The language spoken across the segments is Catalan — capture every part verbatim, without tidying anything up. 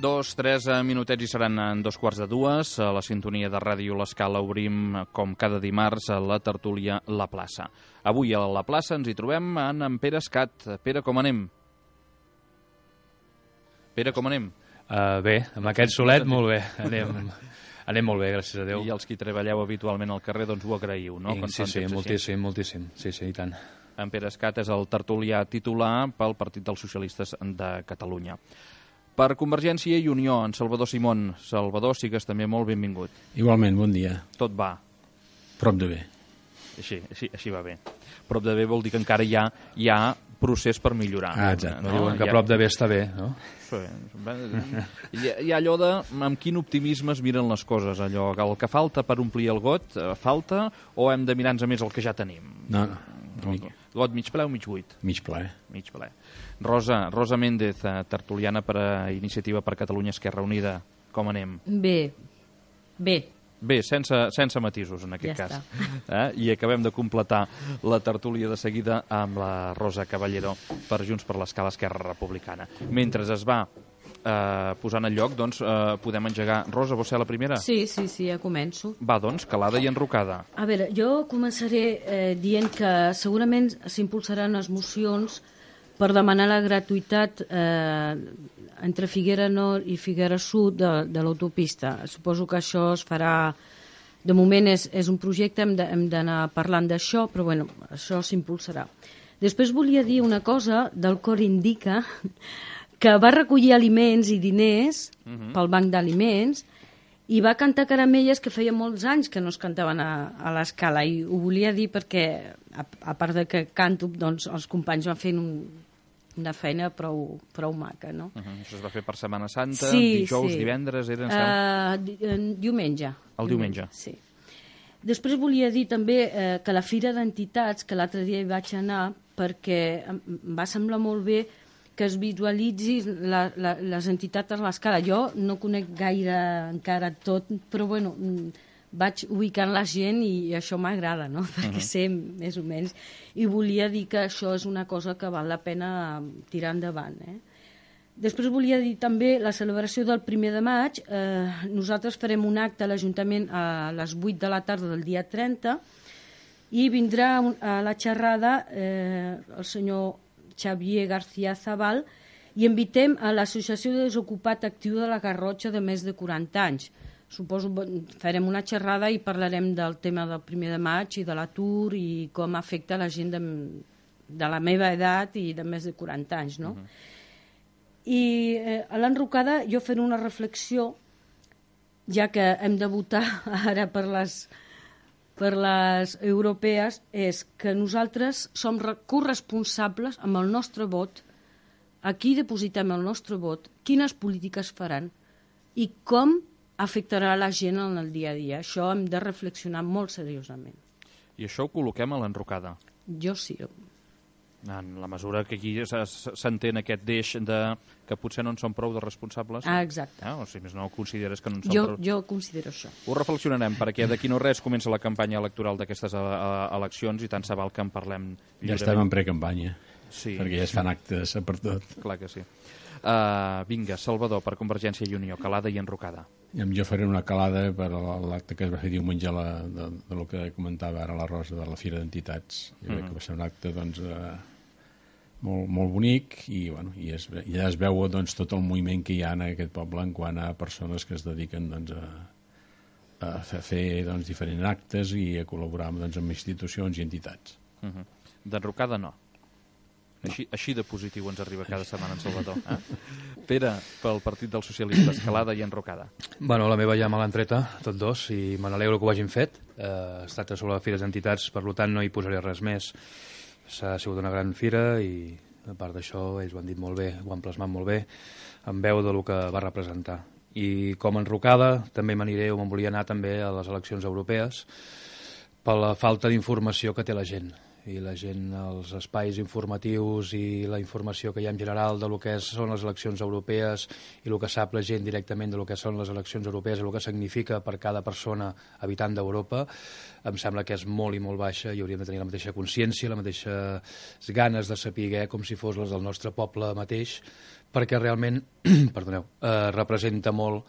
Dos, tres minutets i seran en dos quarts de dues. A la sintonia de Ràdio L'Escala obrim, com cada dimarts, a la tertúlia La Plaça. Avui a La Plaça ens hi trobem en, en Pere Escat. Pere, com anem? Pere, com anem? Uh, bé, amb aquest solet, molt bé. Anem, anem molt bé, gràcies a Déu. I els qui treballeu habitualment al carrer, doncs ho agraïu, no? I, sí, sí, moltíssim, així. moltíssim. Sí, sí, i tant. En Pere Escat és el tertulià titular pel Partit dels Socialistes de Catalunya. Per Convergència i Unió, en Salvador Simón. Salvador, sigues també molt benvingut. Igualment, bon dia. Tot va. Prop de bé. Així, així, així va bé. Prop de bé vol dir que encara hi ha, hi ha procés per millorar. Ah, exacte. No? Diuen que ha... prop de bé està bé, no? Sí. Hi ha, hi ha allò de amb quin optimisme es miren les coses, allò, el que falta per omplir el got, falta, o hem de mirar-nos més el que ja tenim? No, no. Got mig ple o mig buit? Mig ple. Mig ple. Rosa, Rosa Méndez, tertuliana per a Iniciativa per Catalunya Esquerra Unida. Com anem? Bé, bé. Bé, sense, sense matisos en aquest ja cas. Eh? I acabem de completar la tertúlia de seguida amb la Rosa Caballero per Junts per l'Escala Esquerra Republicana. Mentre es va eh, posant al lloc, doncs eh, podem engegar. Rosa, vols ser la primera? Sí, sí, sí, ja començo. Va, doncs, calada i enrocada. A veure, jo començaré eh, dient que segurament s'impulsaran les mocions per demanar la gratuïtat eh, entre Figuera Nord i Figuera Sud de, de l'autopista. Suposo que això es farà... De moment és, és un projecte, hem de, hem d'anar parlant d'això, però bueno, això s'impulsarà. Després volia dir una cosa del Cor Indica, que va recollir aliments i diners uh-huh. pel Banc d'Aliments i va cantar caramelles que feia molts anys que no es cantaven a, a l'Escala, i ho volia dir perquè, a, a part de que canto, doncs els companys van fent un, una feina prou, prou maca, no? Uh-huh. Això es va fer per Setmana Santa, sí, dijous, sí. divendres, era en uh, di, diumenge. El diumenge. Sí. Després volia dir també eh, que la Fira d'Entitats, que l'altre dia hi vaig anar, perquè em va semblar molt bé que es visualitzi la, la, les entitats a l'escala. Jo no conec gaire encara tot, però bueno, vaig ubicant la gent i això m'agrada, no? Perquè uh-huh. sé més o menys. I volia dir que això és una cosa que val la pena tirar endavant. Eh? Després volia dir també la celebració del primer de maig. Eh, nosaltres farem un acte a l'Ajuntament a les vuit de la tarda del dia trenta i vindrà a la xerrada eh, el senyor Xavier García Zabal, i invitem a l'Associació de Desocupat Actiu de la Garrotxa de més de quaranta anys. Suposo que farem una xerrada i parlarem del tema del primer de maig i de l'atur i com afecta la gent de, de la meva edat i de més de quaranta anys, no? Uh-huh. I eh, a l'enrocada jo faré una reflexió, ja que hem de votar ara per les... per les europees, és que nosaltres som corresponsables amb el nostre vot, aquí depositem el nostre vot, quines polítiques faran i com afectarà la gent en el dia a dia. Això hem de reflexionar molt seriosament. I això ho col·loquem a l'enrocada? Jo sí. En la mesura que aquí s'entén aquest deix de que potser no en són prou de responsables. Ah, exacte. Ah, o si més no consideres que no en són jo, prou... Jo considero això. Ho reflexionarem, perquè d'aquí no res comença la campanya electoral d'aquestes eleccions i tant se val que en parlem lliurement. Ja estem en precampanya, sí, perquè ja es fan actes per tot. Clar que sí. Uh, vinga, Salvador, per Convergència i Unió, calada i enrocada. Jo faré una calada per l'acte que es va fer diumenge la, de, de lo que comentava ara la Rosa, de la Fira d'Entitats. Jo crec uh-huh. que va ser un acte, doncs... Uh, Molt, molt bonic i, bueno, i es, ja es veu doncs, tot el moviment que hi ha en aquest poble en quant a persones que es dediquen doncs, a, a fer doncs, diferents actes i a col·laborar doncs, amb institucions i entitats. Uh-huh. D'enrocada no. no. Així, així de positiu ens arriba cada setmana en Salvador. Eh? Pere, pel Partit dels Socialistes, calada i enrocada. Bueno, la meva ja me l'han treta, tots dos, i me n'alegro que ho hagin fet. Eh, es tracta sobre les fires d'entitats, per tant no hi posaré res més. S'ha sigut una gran fira i, a part d'això, ells ho han dit molt bé, ho han plasmat molt bé, en veu del que va representar. I com enrocada, també m'aniré, o me'n volia anar també a les eleccions europees, per la falta d'informació que té la gent. i la gent, els espais informatius i la informació que hi ha en general de lo que són les eleccions europees i el que sap la gent directament de lo que són les eleccions europees i el que significa per cada persona habitant d'Europa, em sembla que és molt i molt baixa i hauríem de tenir la mateixa consciència, les mateixes ganes de saber com si fos les del nostre poble mateix, perquè realment perdoneu, eh, representa molt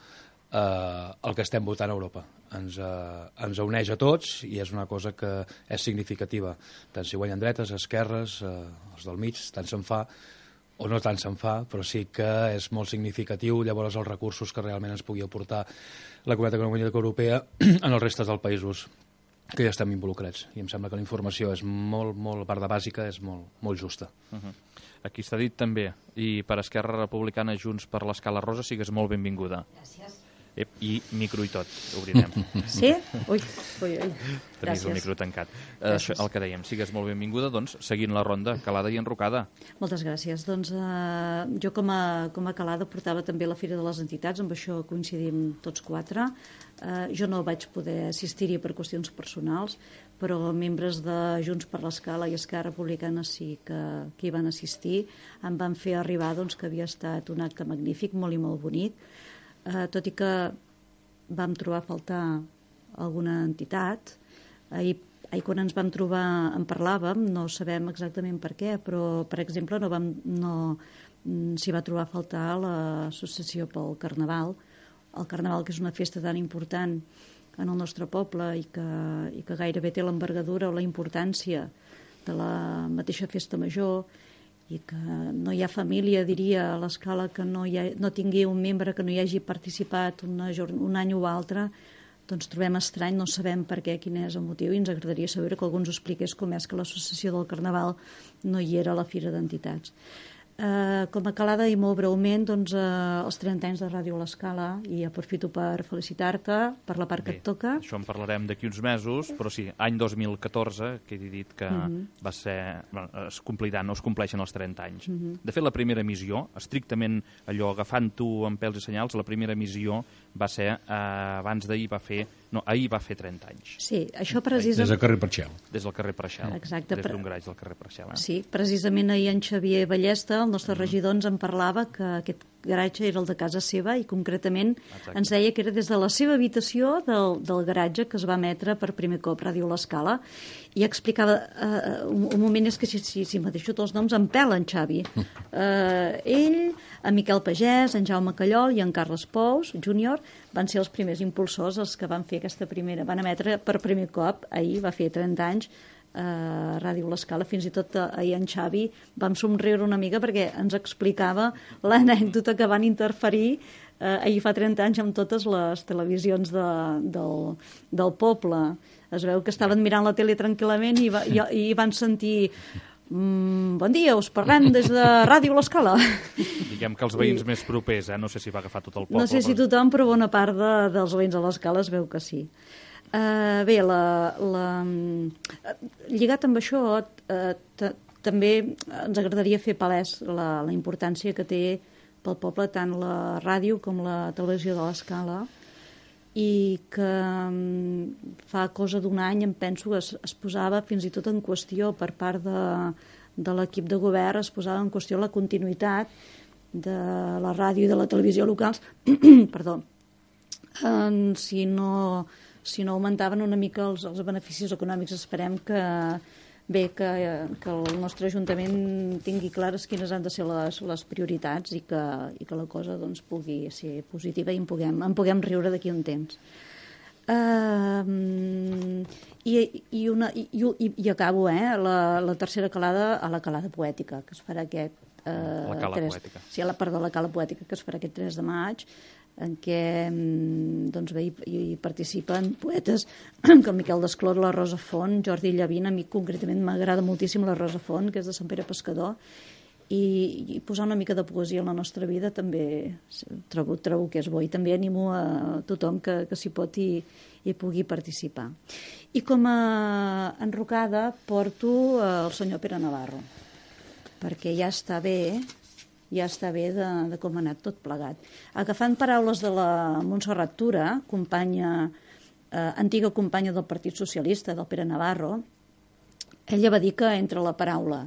eh, el que estem votant a Europa. Ens, eh, ens uneix a tots i és una cosa que és significativa. Tant si guanyen dretes, esquerres, eh, els del mig, tant se'n fa o no tant se'n fa, però sí que és molt significatiu llavors els recursos que realment ens pugui aportar la Comunitat Econòmica Europea en els restes dels països que ja estem involucrats. I em sembla que la informació és molt, molt, a part de bàsica, és molt, molt justa. Uh -huh. Aquí està dit també, i per Esquerra Republicana Junts per l'Escala Rosa sigues molt benvinguda. Gràcies. Ep, i micro i tot, obrirem. Sí? Ui, ui, ui. Tenies Gràcies. el micro tancat. Eh, això, el que dèiem, sigues molt benvinguda, doncs, seguint la ronda, calada i enrocada. Moltes gràcies. Doncs eh, jo com a, com a calada portava també la Fira de les Entitats, amb això coincidim tots quatre. Eh, jo no vaig poder assistir-hi per qüestions personals, però membres de Junts per l'Escala i Esquerra Republicana sí que, que hi van assistir. Em van fer arribar doncs, que havia estat un acte magnífic, molt i molt bonic. Uh, tot i que vam trobar a faltar alguna entitat. Ahir, ahir quan ens vam trobar en parlàvem, no sabem exactament per què, però per exemple no, vam, no s'hi va trobar a faltar l'associació pel Carnaval. El Carnaval, que és una festa tan important en el nostre poble i que, i que gairebé té l'envergadura o la importància de la mateixa festa major, i que no hi ha família, diria, a l'Escala que no, hi ha, no tingui un membre que no hi hagi participat una, un any o altre, doncs trobem estrany, no sabem per què, quin és el motiu, i ens agradaria saber que algú ens expliqués com és que l'associació del Carnaval no hi era a la Fira d'Entitats. Uh, com a calada i molt breument, doncs, uh, els trenta anys de Ràdio l'Escala, i aprofito per felicitar-te per la part Bé, que et toca. Això en parlarem d'aquí uns mesos, però sí, any dos mil catorze, que he dit que uh -huh. va ser... Bueno, es compliran, no es compleixen els trenta anys. Uh -huh. De fet, la primera emissió, estrictament allò, agafant-ho amb pèls i senyals, la primera emissió va ser, eh, abans d'ahir va fer... No, ahir va fer trenta anys. Sí, això precisament... Des del carrer Parxel. Des del carrer Preixel. Exacte. Des d'un graig del carrer Preixel. Eh? Sí, precisament ahir en Xavier Ballesta, el nostre regidor, ens en parlava que aquest garatge era el de casa seva i concretament Exacte. Ens deia que era des de la seva habitació del, del garatge que es va emetre per primer cop Ràdio l'Escala, i explicava uh, un, un moment, és que si, si, si m'adeixo tots els noms em pela en Xavi. Uh, ell, en Miquel Pagès, en Jaume Callol i en Carles Pous júnior van ser els primers impulsors, els que van fer aquesta primera, van emetre per primer cop, ahir va fer trenta anys, a Ràdio l'Escala. Fins i tot ahir en Xavi vam somriure una mica perquè ens explicava l'anècdota que van interferir eh, ahir fa trenta anys amb totes les televisions de, del, del poble. Es veu que estaven mirant la tele tranquil·lament i, va, i, i van sentir mm, bon dia, us parlem des de Ràdio l'Escala. Diguem que els veïns I... més propers, eh? No sé si va agafar tot el poble. No sé si però... tothom, però bona part de, dels veïns de l'Escala es veu que sí. Uh, bé, la, la, lligat amb això, uh, també ens agradaria fer palès la, la importància que té pel poble tant la ràdio com la televisió de l'Escala, i que um, fa cosa d'un any, em penso, que es, es posava fins i tot en qüestió per part de, de l'equip de govern, es posava en qüestió la continuïtat de la ràdio i de la televisió locals, perdó, um, si no... si no augmentaven una mica els, els beneficis econòmics. Esperem que, bé, que, que el nostre Ajuntament tingui clares quines han de ser les, les prioritats i que, i que la cosa doncs, pugui ser positiva i en puguem, en puguem riure d'aquí un temps. Uh, i, i, una, i, i, i acabo, eh, la, la tercera calada a la calada poètica, que es farà aquest... Uh, la cala tres, poètica. Sí, la part de la cala poètica, que es farà aquest tres de maig, en què doncs, bé, hi, hi participen poetes com Miquel Desclot, la Rosa Font, Jordi Llavina. A mi concretament m'agrada moltíssim la Rosa Font, que és de Sant Pere Pescador, i, i posar una mica de poesia en la nostra vida també trobo, trobo que és bo, i també animo a tothom que, que s'hi pot i, i pugui participar. I com a enrocada porto el senyor Pere Navarro, perquè ja està bé ja està bé de, de com ha anat tot plegat. Agafant paraules de la Montserrat Tura, companya, eh, antiga companya del Partit Socialista, del Pere Navarro, ella va dir que entre la paraula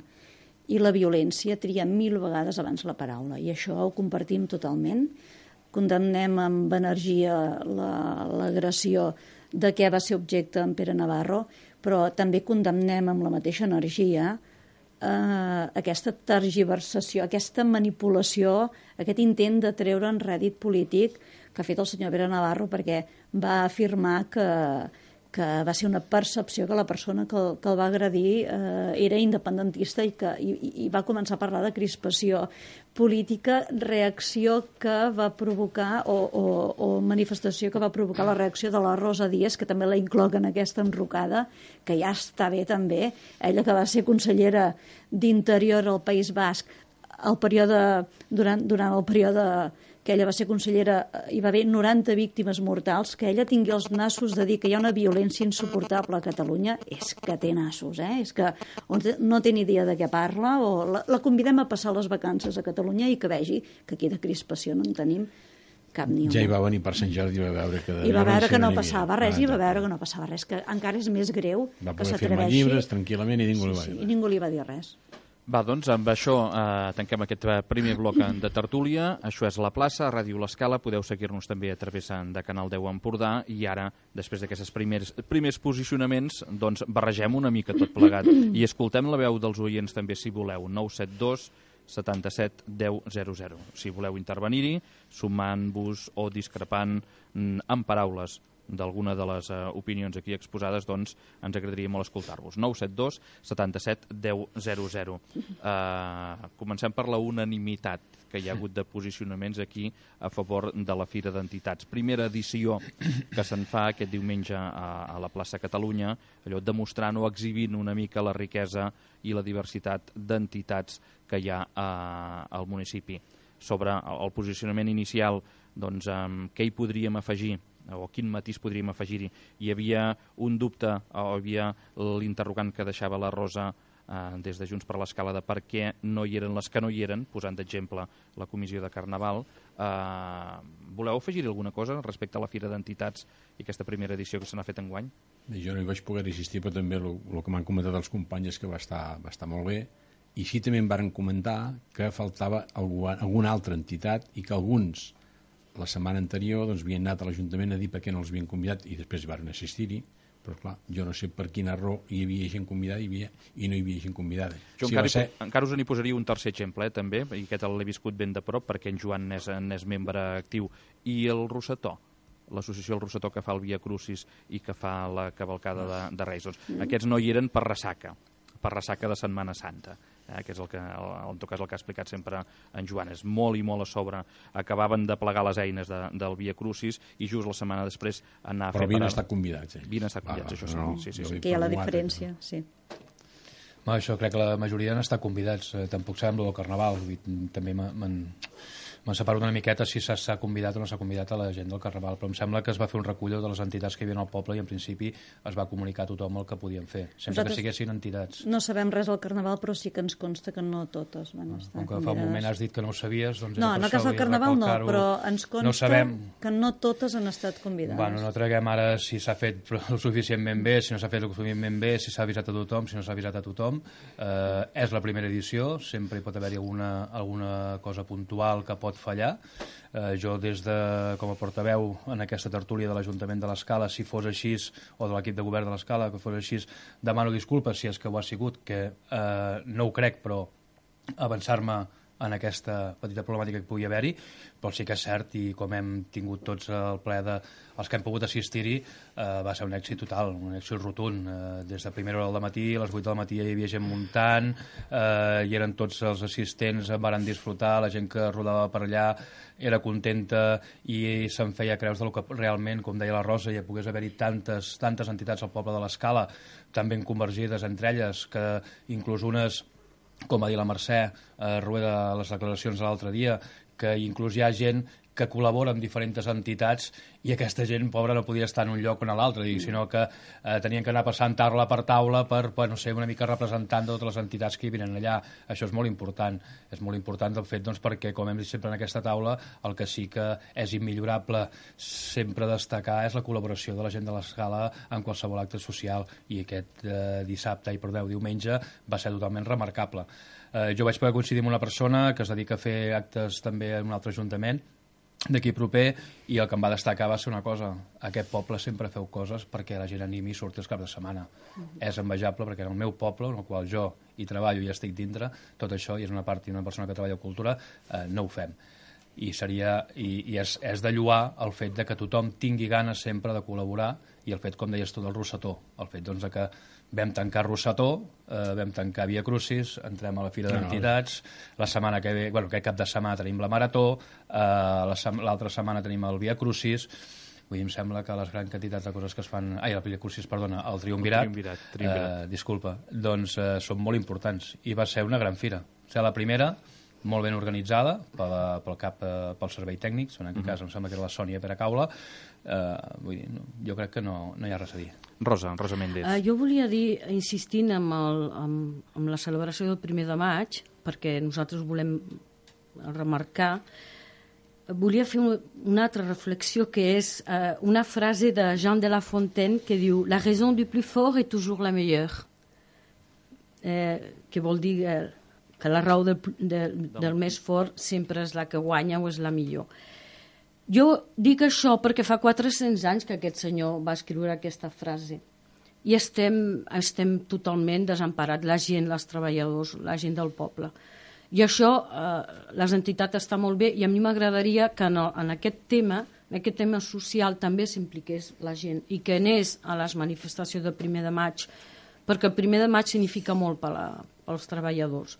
i la violència tria mil vegades abans la paraula, i això ho compartim totalment. Condemnem amb energia l'agressió de què va ser objecte en Pere Navarro, però també condemnem amb la mateixa energia eh, aquesta tergiversació, aquesta manipulació, aquest intent de treure en rèdit polític que ha fet el senyor Pere Navarro, perquè va afirmar que, que va ser una percepció que la persona que el, que el va agredir eh, era independentista i, que, i, i va començar a parlar de crispació política, reacció que va provocar o, o, o manifestació que va provocar la reacció de la Rosa Díaz, que també la incloc en aquesta enrocada, que ja està bé també, ella que va ser consellera d'Interior al País Basc el període, durant, durant el període que ella va ser consellera, hi va haver noranta víctimes mortals, que ella tingui els nassos de dir que hi ha una violència insuportable a Catalunya, és que té nassos, eh? És que no té ni idea de què parla, o la, la convidem a passar les vacances a Catalunya i que vegi que aquí de crispació no en tenim cap ni una. Ja hi va venir per Sant Jordi i va veure que... I va veure que no passava res, i va veure que no passava res, que encara és més greu que s'atreveixi. Va poder fer llibres tranquil·lament i ningú li va dir res. I ningú li va dir res. Va, doncs, amb això eh, tanquem aquest primer bloc de tertúlia. Això és La Plaça, a Ràdio L'Escala. Podeu seguir-nos també a través de Canal deu Empordà. I ara, després d'aquests primers, primers posicionaments, doncs barregem una mica tot plegat. I escoltem la veu dels oients també, si voleu. nou set dos setanta-set deu zero zero. Si voleu intervenir-hi, sumant-vos o discrepant amb paraules d'alguna de les uh, opinions aquí exposades, doncs ens agradaria molt escoltar-vos. nou set dos setanta-set deu zero zero. Uh, comencem per la unanimitat que hi ha hagut de posicionaments aquí a favor de la Fira d'Entitats. Primera edició que se'n fa aquest diumenge a, a la plaça Catalunya, allò demostrant o exhibint una mica la riquesa i la diversitat d'entitats que hi ha uh, al municipi. Sobre el posicionament inicial, doncs, um, què hi podríem afegir? O quin matís podríem afegir-hi. Hi havia un dubte, o hi havia l'interrogant que deixava la Rosa eh, des de Junts per l'Escala de per què no hi eren les que no hi eren, posant d'exemple la comissió de Carnaval. Eh, voleu afegir alguna cosa respecte a la Fira d'Entitats i aquesta primera edició que se n'ha fet enguany? Bé, jo no hi vaig poder assistir, però també el, el que m'han comentat els companys és que va estar, va estar molt bé. I sí també em varen comentar que faltava algú, alguna altra entitat i que alguns la setmana anterior doncs, havien anat a l'Ajuntament a dir per què no els havien convidat i després van assistir-hi, però clar, jo no sé per quina raó hi havia gent convidada i, havia, i no hi havia gent convidada. Jo si encara, ser... encara us n'hi posaria un tercer exemple, eh, també, i aquest l'he viscut ben de prop perquè en Joan n'és, n'és membre actiu. I el Rosetó, l'associació El Rosetó que fa el Via Crucis i que fa la cavalcada de, de Reis. Doncs, mm. Aquests no hi eren per ressaca, per ressaca de Setmana Santa. Eh, que és el que, el, en tot cas el que ha explicat sempre en Joan, és molt i molt a sobre. Acabaven de plegar les eines de, del Via Crucis i just la setmana després anar a però fer... Però havien estat convidats, eh? Havien estat convidats, ah, això no, sí, sí, sí. Que hi ha la diferència, sí. No, això crec que la majoria han estat convidats, eh, tampoc sabem el Carnaval, també m'han... Me'n separo una miqueta si s'ha convidat o no s'ha convidat a la gent del Carnaval, però em sembla que es va fer un recull de les entitats que hi havia al poble i en principi es va comunicar a tothom el que podien fer, sempre Nosaltres que siguessin entitats. No sabem res del Carnaval, però sí que ens consta que no totes van estar Com que fa un moment has dit que no ho sabies, doncs... No, en el cas del Carnaval no, però ens consta no sabem... que no totes han estat convidades. Bueno, no traguem ara si s'ha fet el suficientment bé, si no s'ha fet el suficientment bé, si s'ha avisat a tothom, si no s'ha avisat a tothom. Eh, és la primera edició, sempre hi pot haver-hi alguna, alguna cosa puntual que pot fallar. Eh, jo des de, com a portaveu en aquesta tertúlia de l'Ajuntament de l'Escala, si fos així, o de l'equip de govern de l'Escala, que fos així, demano disculpes si és que ho ha sigut, que eh, no ho crec, però avançar-me en aquesta petita problemàtica que pugui haver-hi, però sí que és cert, i com hem tingut tots el ple de els que hem pogut assistir-hi, eh, va ser un èxit total, un èxit rotund. Eh, des de primera hora del matí, a les vuit del matí hi havia gent muntant, eh, i eren tots els assistents, van disfrutar, la gent que rodava per allà era contenta i se'n feia creus del que realment, com deia la Rosa, ja pogués haver-hi tantes, tantes entitats al poble de l'Escala, tan ben convergides entre elles, que inclús unes, com va dir la Mercè, a Rueda, les declaracions de l'altre dia, que inclús hi ha gent que col·labora amb diferents entitats i aquesta gent, pobra, no podia estar en un lloc o en l'altre, sinó que eh, tenien que anar passant taula per taula per, per, no sé, una mica representant de totes les entitats que hi venen allà. Això és molt important. És molt important el fet, doncs, perquè, com hem dit sempre en aquesta taula, el que sí que és immillorable sempre destacar és la col·laboració de la gent de l'Escala en qualsevol acte social, i aquest eh, dissabte, i perdeu, diumenge, va ser totalment remarcable. Eh, jo vaig poder coincidir amb una persona que es dedica a fer actes també en un altre ajuntament d'aquí proper, i el que em va destacar va ser una cosa: aquest poble sempre feu coses perquè la gent animi i surti els caps de setmana. Mm-hmm. És envejable perquè en el meu poble, en el qual jo hi treballo i estic dintre, tot això, i és una part i una persona que treballa a cultura, eh, no ho fem. I, seria, i, i és, és de lloar el fet de que tothom tingui ganes sempre de col·laborar, i el fet, com deies tu, del Rossetó, el fet, doncs, de que vam tancar Rossetó, eh, vam tancar Via Crucis, entrem a la Fira d'Entitats, la setmana que ve, bueno, aquest cap de setmana tenim la Marató, eh, l'altra setmana tenim el Via Crucis. Vull dir, em sembla que les grans quantitats de coses que es fan... Ai, el Via Crucis, perdona, el Triumvirat, el triumvirat, triumvirat. Eh, disculpa, doncs eh, són molt importants, i va ser una gran fira. O sigui, la primera, molt ben organitzada pel, pel cap, eh, pel servei tècnic, en aquest uh -huh. cas em sembla que era la Sònia Peracaula. Eh, vull dir, no, jo crec que no, no hi ha res a dir. Rosa, Rosa Méndez. Uh, jo volia dir, insistint amb, el, amb, amb la celebració del primer de maig, perquè nosaltres volem remarcar, volia fer una, una altra reflexió, que és uh, una frase de Jean de La Fontaine que diu: la raison du plus fort est toujours la meilleure. Eh, que vol dir eh, que la raó del, del, del més fort sempre és la que guanya o és la millor. Jo dic això perquè fa quatre-cents anys que aquest senyor va escriure aquesta frase, i estem, estem totalment desemparats, la gent, els treballadors, la gent del poble. I això, eh, les entitats està molt bé, i a mi m'agradaria que en, el, en aquest tema, en aquest tema social, també s'impliqués la gent i que anés a les manifestacions del primer de maig, perquè el primer de maig significa molt per la, pels treballadors,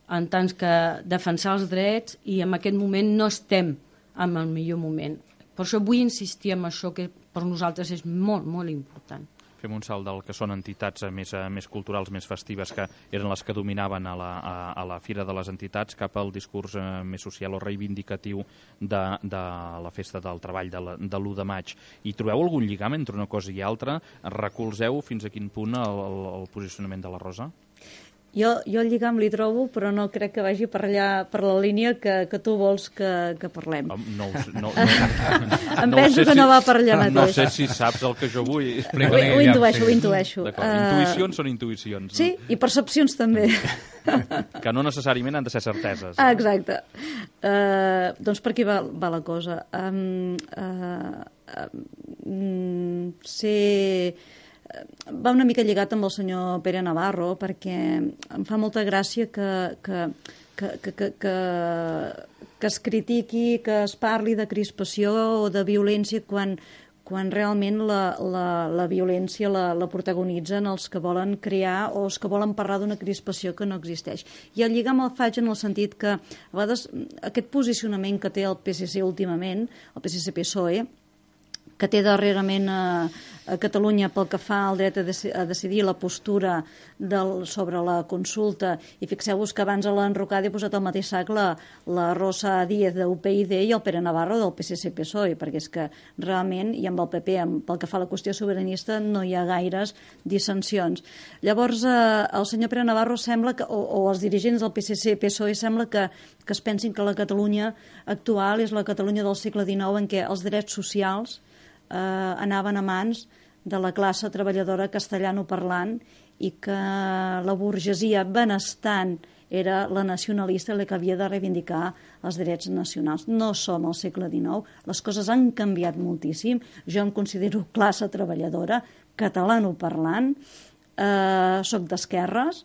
en tant que defensar els drets, i en aquest moment no estem en el millor moment. Per això vull insistir en això, que per nosaltres és molt, molt important. Fem un salt del que són entitats més, més culturals, més festives, que eren les que dominaven a la, a, a la Fira de les Entitats, cap al discurs eh, més social o reivindicatiu de, de la Festa del Treball de, la, de l'u de maig. I trobeu algun lligam entre una cosa i altra? Recolzeu fins a quin punt el, el, el posicionament de la Rosa? Jo, jo el lligam li trobo, però no crec que vagi per allà, per la línia que, que tu vols que, que parlem. No, no, no, no, em no penso que si, no va per allà mateix. No sé si saps el que jo vull. Ho, ho intueixo, ho intueixo. D'acord, intuïcions uh, són intuïcions. Sí, no? I percepcions també. Que no necessàriament han de ser certeses. Ah, exacte. Uh, doncs per aquí va, va la cosa. Um, uh, um, ser... va una mica lligat amb el senyor Pere Navarro, perquè em fa molta gràcia que, que, que, que, que, que, que es critiqui, que es parli de crispació o de violència quan, quan realment la, la, la violència la, la protagonitzen els que volen crear o els que volen parlar d'una crispació que no existeix. I el lligam el faig en el sentit que a vegades aquest posicionament que té el P S C últimament, el P S C P S O E, que té darrerament a, a Catalunya pel que fa al dret a, dec a decidir, la postura del, sobre la consulta, i fixeu-vos que abans a l'enrocada he posat al mateix sac la, la Rosa Díez de U P I D i el Pere Navarro del P S C P S O E, perquè és que realment, i amb el P P, amb, pel que fa a la qüestió sobiranista, no hi ha gaires dissensions. Llavors, eh, el senyor Pere Navarro sembla que, o, o els dirigents del P S C P S O E sembla que, que es pensin que la Catalunya actual és la Catalunya del segle dinou, en què els drets socials Eh, anaven a mans de la classe treballadora castellanoparlant i que la burgesia benestant era la nacionalista, la que havia de reivindicar els drets nacionals. No som al segle dinou, les coses han canviat moltíssim. Jo em considero classe treballadora, catalanoparlant, eh, soc d'esquerres,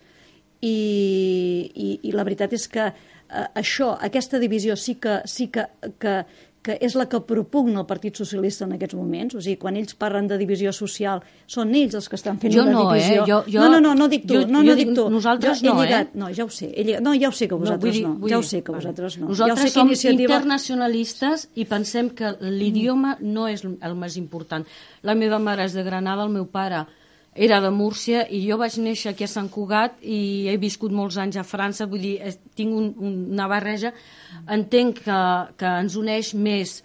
i, i, i la veritat és que eh, això, aquesta divisió sí que, sí que, que que és la que propugna el Partit Socialista en aquests moments. O sigui, quan ells parlen de divisió social, són ells els que estan fent jo una no, divisió. Eh? Jo, jo, no, no, no, no dic tu. Jo, no, jo no dic tu. Nosaltres jo no, lligat, eh? No, ja ho sé. He lligat, no, ja ho sé que vosaltres no. no. no. Ja ho sé que vosaltres no. Nosaltres ja som que iniciativa... internacionalistes i pensem que l'idioma no és el més important. La meva mare és de Granada, el meu pare era de Múrcia i jo vaig néixer aquí a Sant Cugat i he viscut molts anys a França, vull dir, tinc un, una barreja. Entenc que, que ens uneix més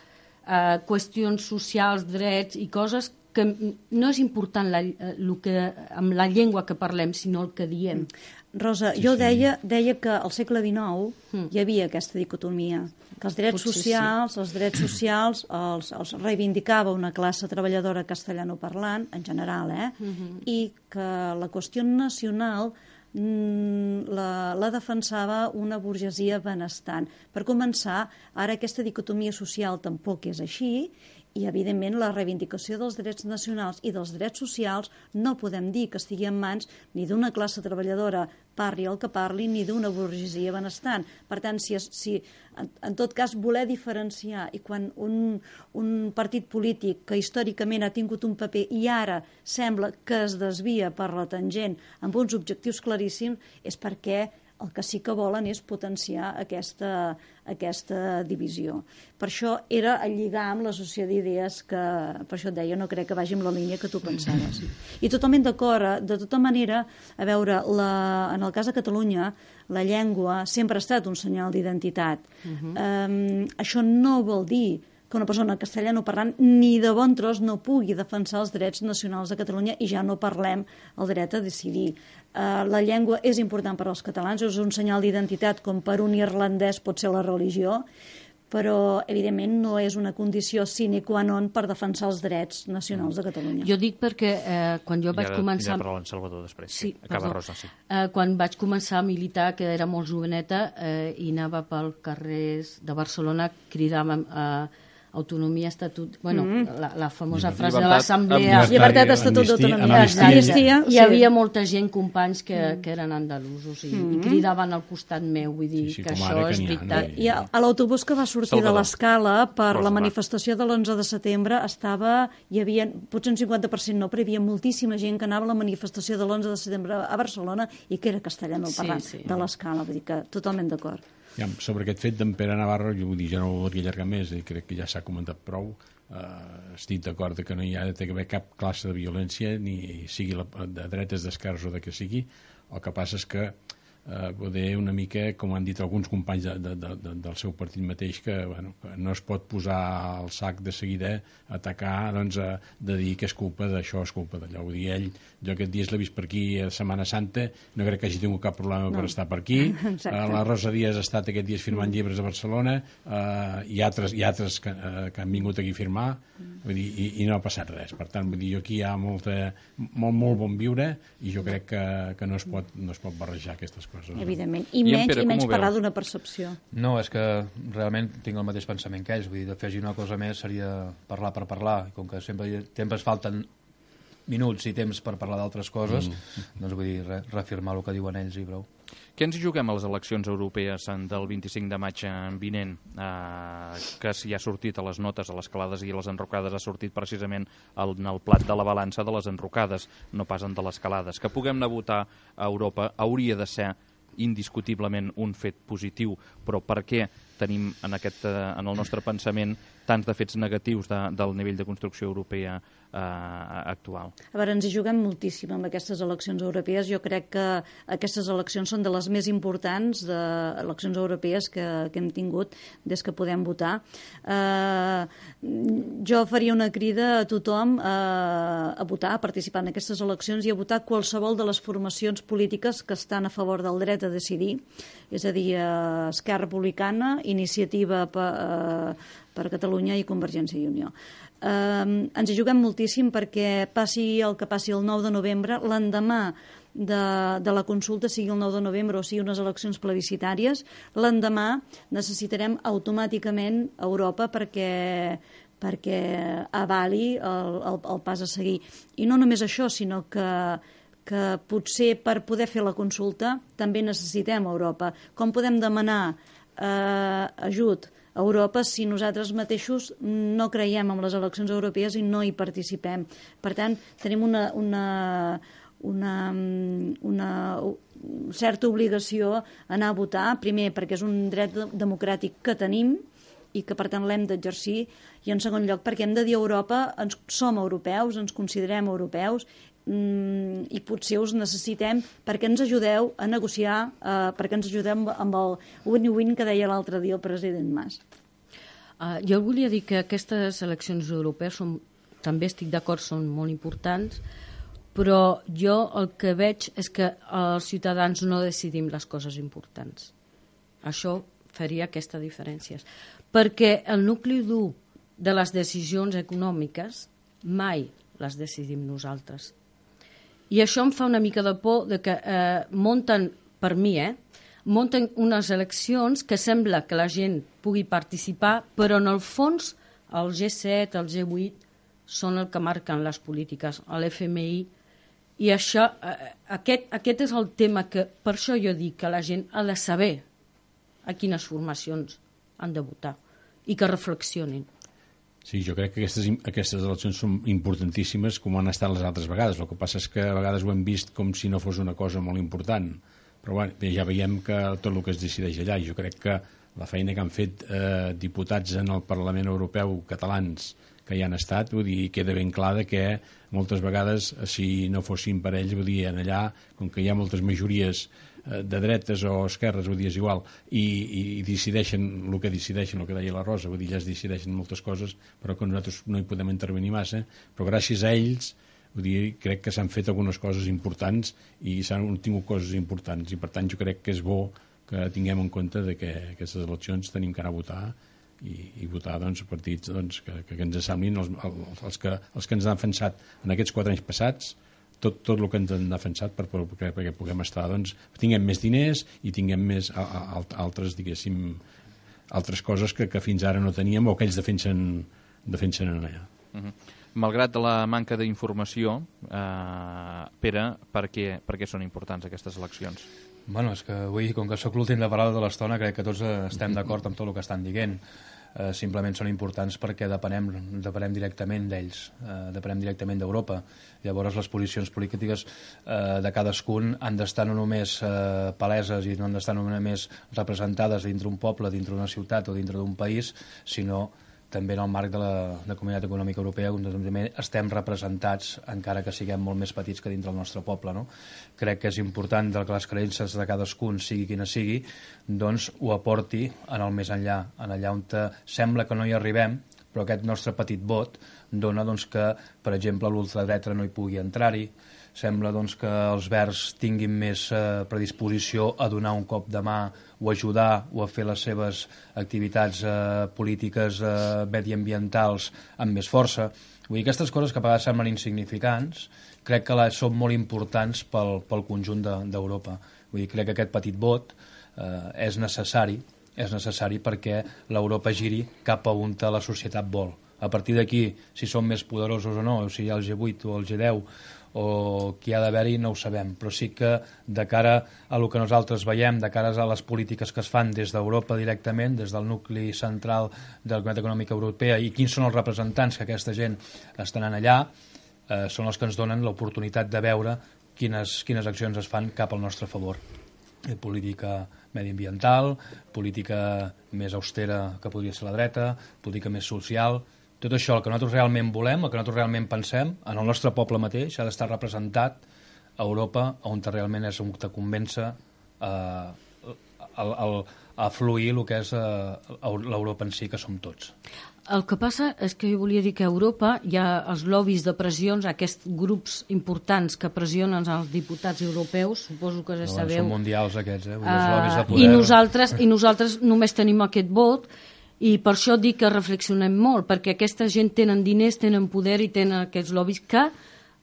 eh, qüestions socials, drets i coses que no és important la, el que, amb la llengua que parlem, sinó el que diem. Rosa, sí, jo sí. Deia, deia que al segle dinou mm. hi havia aquesta dicotomia, que els drets Potser socials, sí. els drets socials els, els reivindicava una classe treballadora castellanoparlant, en general, eh? Mm-hmm. I que la qüestió nacional mm, la, la defensava una burgesia benestant. Per començar, ara aquesta dicotomia social tampoc és així, i, evidentment, la reivindicació dels drets nacionals i dels drets socials no podem dir que estigui en mans ni d'una classe treballadora, parli el que parli, ni d'una burgesia benestant. Per tant, si, si en, en tot cas voler diferenciar, i quan un, un partit polític que històricament ha tingut un paper i ara sembla que es desvia per la tangent amb uns objectius claríssims, és perquè el que sí que volen és potenciar aquesta, aquesta divisió. Per això era el lligar amb l'associació d'idees que, per això et deia, no crec que vagi amb la línia que tu pensaves. I totalment d'acord, de tota manera, a veure, la, en el cas de Catalunya, la llengua sempre ha estat un senyal d'identitat. Uh-huh. um, això no vol dir que una persona castellano parlant ni de bon tros no pugui defensar els drets nacionals de Catalunya, i ja no parlem el dret a decidir. Uh, la llengua és important per als catalans, és un senyal d'identitat com per un irlandès pot ser la religió, però evidentment no és una condició sine qua non per defensar els drets nacionals de Catalunya. Jo dic perquè eh, quan jo vaig ara, començar... Ja parla en Salvador després. Sí, Acaba Rosa, sí. Eh, quan vaig començar a militar, que era molt joveneta, eh, i anava pel carrers de Barcelona, cridàvem a eh, autonomia, estatut... Bueno, mm. la, la famosa Llibertat, frase de l'Assemblea... Llibertat, estatut d'autonomia. Hi havia molta gent, companys, que, mm. que eren andalusos i, mm. i cridaven al costat meu, vull dir sí, sí, que això és veritat. I a, a l'autobús que va sortir Salvador. de l'Escala per Rosa, la manifestació de l'onze de setembre estava... Hi havia, potser un cinquanta per cent no, però hi havia moltíssima gent que anava a la manifestació de l'onze de setembre a Barcelona i que era castellano parlant sí, sí. de l'Escala, vull dir que totalment d'acord. Ja, sobre aquest fet d'en Pere Navarro, jo vull dir, ja no ho voldria allargar més, i crec que ja s'ha comentat prou. Uh, estic d'acord que no hi ha d'haver cap classe de violència, ni sigui la, de dretes, d'esquerres o de que sigui. El que passa és que uh, poder una mica, com han dit alguns companys de, de, de, del seu partit mateix, que, bueno, que no es pot posar al sac de seguida, atacar, doncs, a, de dir que és culpa d'això, és culpa d'allò. Vull dir, ell, jo aquest dia l'he vist per aquí a Setmana Santa, no crec que hagi tingut cap problema no. per estar per aquí. Uh, la Rosa Díaz ha estat aquest dia firmant mm. llibres a Barcelona, uh, i altres, i altres que, uh, que han vingut aquí a firmar, mm. vull dir, i, i no ha passat res. Per tant, vull dir, aquí hi ha molta, molt, molt bon viure, i jo crec que, que no, es pot, no es pot barrejar aquestes coses. Evidentment, i, I menys, Pere, i menys parlar d'una percepció. No, és que realment tinc el mateix pensament que ells, vull dir, d'afegir una cosa més seria parlar per parlar, i com que sempre temps falten minuts i temps per parlar d'altres coses, mm. doncs vull dir, re, reafirmar el que diuen ells i prou. Què ens hi juguem a les eleccions europees del vint-i-cinc de maig vinent? Eh, que si ha sortit a les notes, a les calades i a les enrocades, ha sortit precisament en el plat de la balança de les enrocades, no pas en de les calades. Que puguem anar a votar a Europa hauria de ser indiscutiblement un fet positiu, però per què tenim en, aquest, en el nostre pensament tants de fets negatius de, del nivell de construcció europea eh, actual? A veure, ens hi juguem moltíssim amb aquestes eleccions europees. Jo crec que aquestes eleccions són de les més importants de eleccions europees que, que hem tingut des que podem votar. Eh, jo faria una crida a tothom a, a votar, a participar en aquestes eleccions i a votar qualsevol de les formacions polítiques que estan a favor del dret a decidir, és a dir, Esquerra Republicana, Iniciativa per, eh, per Catalunya i Convergència i Unió. Eh, ens hi juguem moltíssim perquè passi el que passi el nou de novembre, l'endemà de, de la consulta, sigui el nou de novembre o sigui unes eleccions plebiscitàries, l'endemà necessitarem automàticament Europa perquè perquè avali el, el, el pas a seguir. I no només això, sinó que que potser per poder fer la consulta també necessitem Europa. Com podem demanar eh, ajut a Europa si nosaltres mateixos no creiem en les eleccions europees i no hi participem? Per tant, tenim una, una, una, una certa obligació a anar a votar, primer perquè és un dret democràtic que tenim i que per tant l'hem d'exercir, i en segon lloc perquè hem de dir a Europa ens, som europeus, ens considerem europeus mm, i potser us necessitem perquè ens ajudeu a negociar, eh, perquè ens ajudem amb el win-win que deia l'altre dia el president Mas. Uh, jo volia dir que aquestes eleccions europees són, també estic d'acord, són molt importants, però jo el que veig és que els ciutadans no decidim les coses importants. Això faria aquesta diferència. Perquè el nucli dur de les decisions econòmiques mai les decidim nosaltres. I això em fa una mica de por de que eh, munten, per mi, eh, munten unes eleccions que sembla que la gent pugui participar, però en el fons el G set, el G vuit són el que marquen les polítiques, l'F M I, i això, eh, aquest, aquest és el tema que, per això jo dic que la gent ha de saber a quines formacions han de votar i que reflexionin. Sí, jo crec que aquestes, aquestes eleccions són importantíssimes com han estat les altres vegades. El que passa és que a vegades ho hem vist com si no fos una cosa molt important. Però bueno, ja veiem que tot el que es decideix allà, i jo crec que la feina que han fet eh, diputats en el Parlament Europeu catalans que hi han estat, vull dir, queda ben clar que moltes vegades, si no fossin per ells, vull dir, en allà, com que hi ha moltes majories de dretes o esquerres, vull dir, és igual, i, i decideixen el que decideixen, el que deia la Rosa, vull dir, ja es decideixen moltes coses, però que nosaltres no hi podem intervenir massa, però gràcies a ells, vull dir, crec que s'han fet algunes coses importants i s'han tingut coses importants, i per tant jo crec que és bo que tinguem en compte de que aquestes eleccions tenim que anar a votar i, i votar doncs, partits doncs, que, que ens semblin els, els, que, els que ens han defensat en aquests quatre anys passats, tot, tot el que ens han defensat per, per, perquè puguem estar, doncs, tinguem més diners i tinguem més a, a, altres, diguéssim, altres coses que, que fins ara no teníem o que ells defensen, defensen en allà. Uh-huh. Malgrat la manca d'informació, eh, Pere, per què, per què són importants aquestes eleccions? Bueno, és que avui, com que sóc l'últim de parlar de l'estona, crec que tots estem d'acord amb tot el que estan dient. Eh, simplement són importants perquè depenem, depenem directament d'ells, eh, depenem directament d'Europa. Llavors les posicions polítiques eh, de cadascun han d'estar no només eh, paleses i no han d'estar no només representades dintre un poble, dintre una ciutat o dintre d'un país, sinó també en el marc de la, de la Comunitat Econòmica Europea, on també estem representats, encara que siguem molt més petits que dintre el nostre poble. No? Crec que és important que les creences de cadascun, sigui quina sigui, doncs ho aporti en el més enllà, en allà on te sembla que no hi arribem, però aquest nostre petit vot dona doncs, que, per exemple, l'ultradreta no hi pugui entrar-hi, sembla doncs, que els verds tinguin més eh, predisposició a donar un cop de mà o ajudar o a fer les seves activitats eh, polítiques eh, mediambientals amb més força. Vull dir, aquestes coses que a vegades semblen insignificants, crec que les són molt importants pel, pel conjunt d'Europa. De, Vull dir, crec que aquest petit vot eh, és necessari, és necessari perquè l'Europa giri cap a on la societat vol. A partir d'aquí, si som més poderosos o no, o si hi ha el G vuit o el G deu, o qui ha d'haver-hi no ho sabem, però sí que de cara a el que nosaltres veiem, de cara a les polítiques que es fan des d'Europa directament, des del nucli central de la Comunitat Econòmica Europea, i quins són els representants que aquesta gent estan allà, eh, són els que ens donen l'oportunitat de veure quines, quines accions es fan cap al nostre favor. Eh, política mediambiental, política més austera que podria ser la dreta, política més social. Tot això, el que nosaltres realment volem, el que nosaltres realment pensem, en el nostre poble mateix, ha d'estar representat a Europa, on realment és on te convença eh, a, a, a fluir el que és eh, l'Europa en si, que som tots. El que passa és que jo volia dir que a Europa hi ha els lobbies de pressions, aquests grups importants que pressionen els diputats europeus, suposo que ja no, sabeu. Són mundials aquests, eh? Els Uh, lobbies de poder. I nosaltres, I nosaltres només tenim aquest vot, i per això dic que reflexionem molt, perquè aquesta gent tenen diners, tenen poder i tenen aquests lobbies que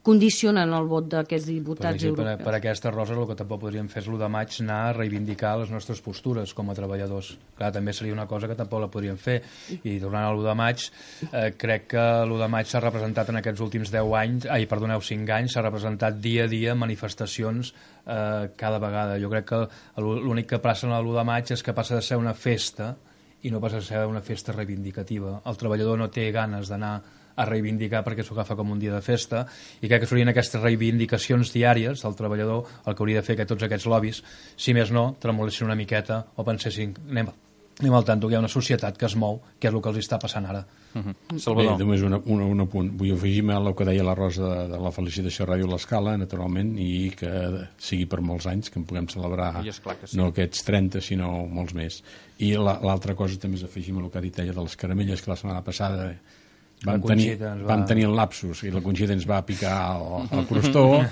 condicionen el vot d'aquests diputats per exemple, europeus. Per aquesta, Rosa, el que tampoc podríem fer és l'u de maig anar a reivindicar les nostres postures com a treballadors. Clar, també seria una cosa que tampoc la podríem fer. I tornant a l'u de maig, eh, crec que l'u de maig s'ha representat en aquests últims deu anys, ai, perdoneu, cinc anys, s'ha representat dia a dia manifestacions eh, cada vegada. Jo crec que l'únic que passa en l'u de maig és que passa de ser una festa i no passa a ser una festa reivindicativa. El treballador no té ganes d'anar a reivindicar perquè s'ho agafa com un dia de festa, i crec que serien aquestes reivindicacions diàries del treballador el que hauria de fer que tots aquests lobbies, si més no, tremolessin una miqueta o pensessin, anem, anem al tanto que hi ha una societat que es mou, que és el que els està passant ara. Uh -huh. Salvador. Bé, només un, un, un apunt. Vull afegir-me al que deia la Rosa de, de la felicitació a Ràdio l'Escala, naturalment, i que sigui per molts anys, que en puguem celebrar, I és clar que sí. no aquests trenta, sinó molts més. I l'altra cosa també és afegir-me al que ha dit ella de les caramelles, que la setmana passada vam tenir, va... vam tenir el lapsus i la Conxita ens va picar al, al crostó,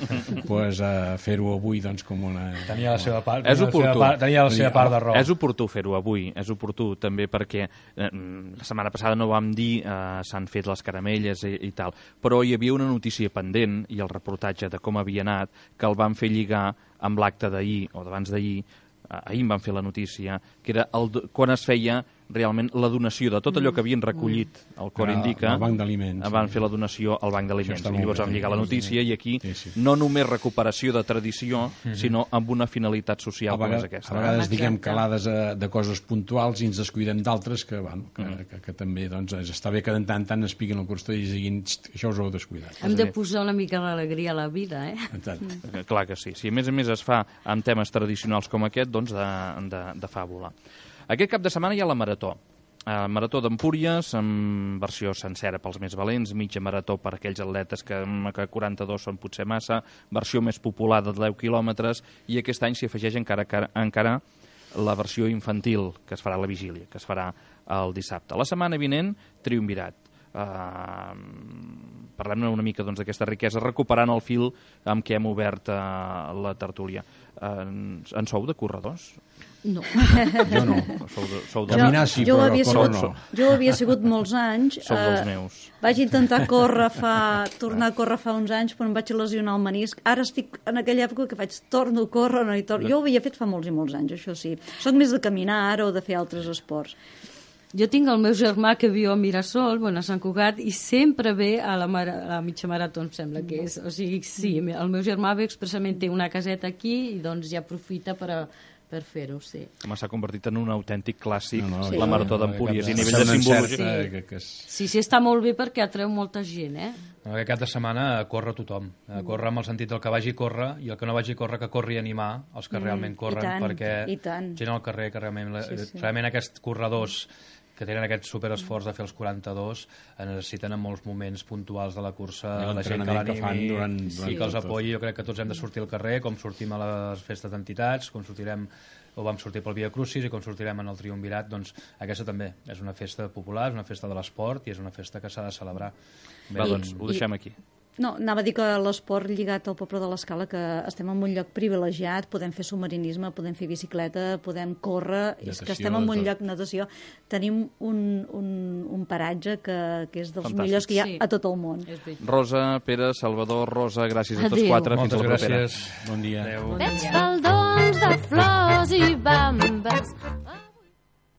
pues, uh, fer-ho avui doncs, com una... Tenia la seva part, És oportú. part, tenia la seva part de raó. És oportú fer-ho avui, és oportú també perquè eh, la setmana passada no vam dir eh, s'han fet les caramelles i, i tal, però hi havia una notícia pendent i el reportatge de com havia anat que el van fer lligar amb l'acte d'ahir o d'abans d'ahir, eh, ahir em van fer la notícia, que era el, quan es feia realment la donació de tot allò que havien recollit el Cor Indica, el banc d'aliments, van sí. fer la donació al banc d'aliments i llavors vam lligar la notícia i aquí sí, sí. no només recuperació de tradició, mm-hmm. sinó amb una finalitat social a com vegades, és aquesta. A vegades Exacte. diguem calades de, de coses puntuals i ens descuidem d'altres que, bueno, que, mm. que, que també doncs, està bé que de tant en tant es piquin el costó i diguin això us ho heu descuidat. Hem de posar una mica d'alegria a la vida, eh? Mm. Clar que sí. Si a més a més es fa amb temes tradicionals com aquest, doncs de, de, de fàbula. Aquest cap de setmana hi ha la Marató. Uh, Marató d'Empúries, amb versió sencera pels més valents, mitja marató per aquells atletes que, que quaranta-dos són potser massa, versió més popular de deu quilòmetres, i aquest any s'hi afegeix encara, encara la versió infantil, que es farà a la vigília, que es farà el dissabte. La setmana vinent, triumvirat. Uh, parlem una mica doncs, d'aquesta riquesa, recuperant el fil amb què hem obert uh, la tertúlia. Uh, en sou de corredors? No. Jo no. Sou de, sou de... Caminar sí, jo però havia córrer sigut, no. Jo havia sigut molts anys. Sou dels eh, meus. Vaig intentar córrer fa, tornar a córrer fa uns anys, però em vaig lesionar el menisc. Ara estic en aquella època que faig torno a córrer, no hi torno. Jo ho havia fet fa molts i molts anys, això sí. Soc més de caminar ara o de fer altres esports. Jo tinc el meu germà que viu a Mirasol, bueno, a Sant Cugat, i sempre ve a la, mara, a la mitja marató, em sembla que és. O sigui, sí, el meu germà ve expressament, té una caseta aquí i doncs ja aprofita per a, per fer-ho, sí. Home, s'ha convertit en un autèntic clàssic, no, no, sí. la Marató d'Empúries, i a nivell de Sembla simbologia. cert, Sí. eh, que, que és... Sí, sí, està molt bé perquè atreu molta gent, eh? No, aquest cap de setmana corre tothom. Corre amb el sentit del que vagi a córrer i el que no vagi a córrer que corri a animar els que realment corren, i tant, perquè i tant. gent al carrer que realment, Sí, sí. realment aquests corredors que tenen aquest superesforç de fer els quaranta-dos necessiten en molts moments puntuals de la cursa I la gent que l'entrenament que fan l'animi durant- i durant que els tot. apoyi. Jo crec que tots hem de sortir al carrer, com sortim a les festes d'entitats, com sortirem o vam sortir pel Via Crucis i com sortirem en el Triumvirat, doncs aquesta també és una festa popular, és una festa de l'esport i és una festa que s'ha de celebrar. Va, doncs, ho deixem aquí. No, anava a dir que l'esport lligat al poble de l'Escala, que estem en un lloc privilegiat, podem fer submarinisme, podem fer bicicleta, podem córrer, natació, és que estem en un tot. lloc, natació, tenim un, un, un paratge que, que és dels Fantàstic. millors que hi ha Sí. a tot el món. És veritat. Rosa, Pere, Salvador, Rosa, gràcies a tots Adéu. quatre. Moltes Fins a la propera. gràcies. Bon dia. Adéu. Bon Veig dia. faldons de flors i bambes